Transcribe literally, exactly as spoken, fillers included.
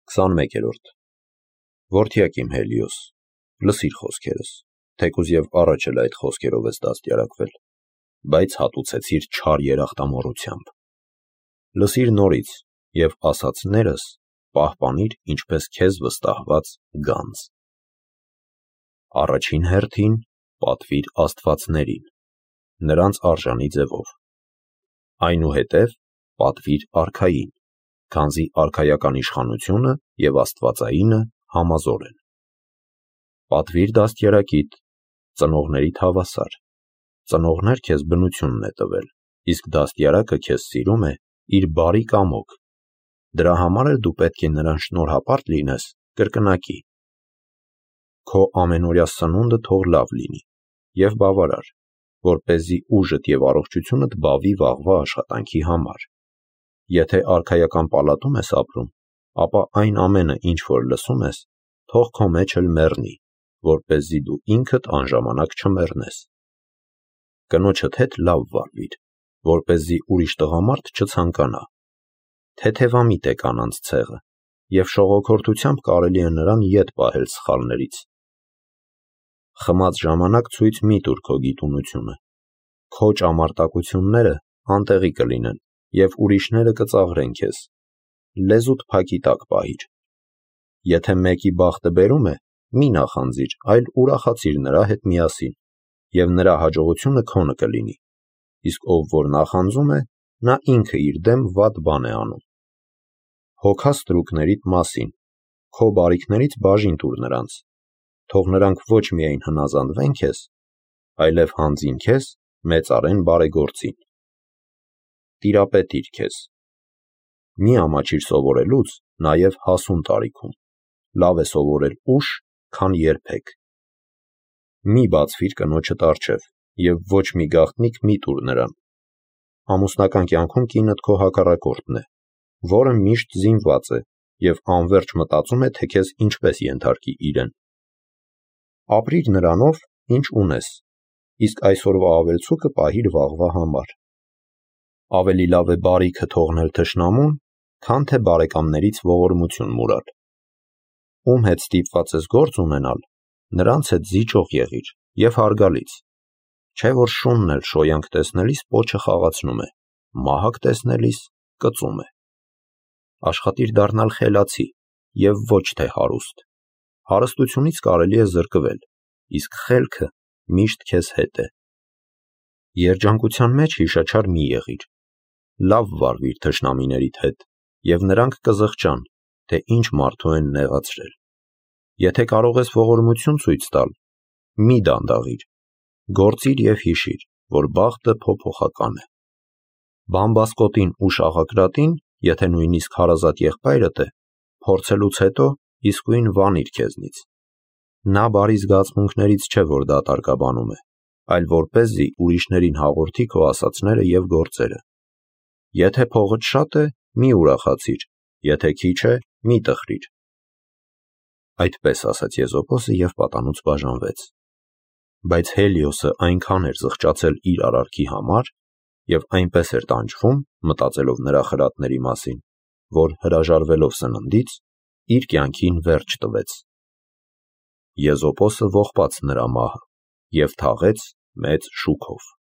քսանմեկերորդ Որդյակ իմ Հելիոս, լսիր խոսքերս, թեկուզ և առաջ էլ այդ խոսքերով ես դաստիարակվել, բայց հատուցեցիր չար երախտամոռությամբ։ Լսիր նորից և ասածներս պահպանիր ինչպես քեզ վստահված գանձ։ Առաջին հերթին պատվիր աստվածներին, նրանց արժանի ձևով, այնուհետև պատվիր արքային, քանզի արքայական իշխանությունը և աստվածայինը համազոր են։ Պատվիր դաստիարակիդ, ծնողներիդ հավասար, ծնողներ քեզ բնությունն է տվել, իսկ դաստիարակը քեզ սիրում է իր բարի կամոք, դրա համար էլ դու պետք է նրան շնորհապարտ լինես կրկնակի։ Քո ամենօրյա սնունդը թող լավ լինի և բավարար, որպեսզի ուժդ և առողջությունդ բավի վաղվա աշխատանքի համար։ Եթե արքայական պալատում ես ապրում, ապա այն ամենը, ինչ որ լսում ես, թող քո մեջ էլ մեռնի, որպեսզի դու ինքդ անժամանակ չմեռնես։ Կնոջդ հետ լավ վարվիր, որպեսզի ուրիշ տղամարդ չցանկանա։ Թեթևամիտ է կանանց ցեղը, և շողոքորթությամբ կարելի է նրան ետ պահել սխալներից։ Խմած ժամանակ ցույց մի տուր քո գիտունությունը, քո ճամարտակությունները անտեղի կլինեն, և ուրիշները կծաղրեն քեզ։ Լեզուդ փակի տակ պահիր։ Եթե մեկի բախտը բերում է, մի նախանձիր, այլ ուրախացիր նրա հետ միասին, և նրա հաջողությունը քոնը կլինի, իսկ ով որ նախանձում է, նա ինքը իր դեմ վատ բան է անում։ Հոգա ստրուկներիդ մասին, քո բարիքներից բաժին տուր նրանց, թող նրանք ոչ միայն հնազանդվեն քեզ, այլև հանձին քեզ մեծարեն բարեգործին։ Տիրապետիր քեզ։ Մի ամաչիր սովորելուց, նաև հասուն տարիքում, լավ է սովորել ուշ, քան երբեք։ Մի բացվիր կնոջդ առջև և ոչ մի գաղտնիք մի տուր նրան։ Ամուսնական կյանքում կինդ քո հակառակորդն է, որը միշտ զինված է և անվերջ մտածում է, թե քեզ ինչպես ենթարկի իրեն։ Ապրիր նրանով, ինչ ունես, իսկ այսօրվա ավելցուկը պահիր վաղվա համար։ Ավելի լավ է բարիքը թողնել թշնամուն, քան թե բարեկամներից ողորմություն մուրալ։ Ում հետ ստիպված ես գործ ունենալ, նրանց հետ զիջող եղիր և հարգալից, չէ որ շունն էլ շոյանք տեսնելիս պոչը խաղացնում է, մահակ տեսնելիս կծում է։ Աշխատիր դառնալ խելացի և ոչ թե հարուստ։ Հարստությունից կարելի է զրկվել, իսկ խելքը միշտ քեզ հետ է։ Երջանկության մեջ հիշաչար մի եղիր։ Լավ վարվիր թշնամիներիդ հետ, և նրանք կզղջան, թե ինչ մարդու են նեղացրել։ Եթե կարող ես ողորմություն ցույց տալ, մի դանդաղիր, գործիր և հիշիր, որ բախտը փոփոխական է։ Բամբասկոտին ու շաղակրատին, եթե նույնիսկ հարազատ եղբայրդ է, փորձելուց հետո իսկույն վանիր քեզնից։ Նա բարի զգացմունքներից չէ, որ դատարկաբանում է, այլ որպեսզի ուրիշներին հաղորդի քո ասածները և գործերը։ Եթե փողդ շատ է, մի ուրախացիր, եթե քիչ է, մի տխրիր։ Այդպես ասաց Եզոպոսը և պատանուց բաժանվեց։ Բայց Հելիոսը այնքան էր զղջացել իր արարքի համար և այնպես էր տանջվում, մտածելով նրա խրատների մասին, որ հրաժարվելով սննդից, իր կյանքին վերջ տվեց։ Եզոպոսը ողբաց նրա մահը և թաղեց մեծ շուքով։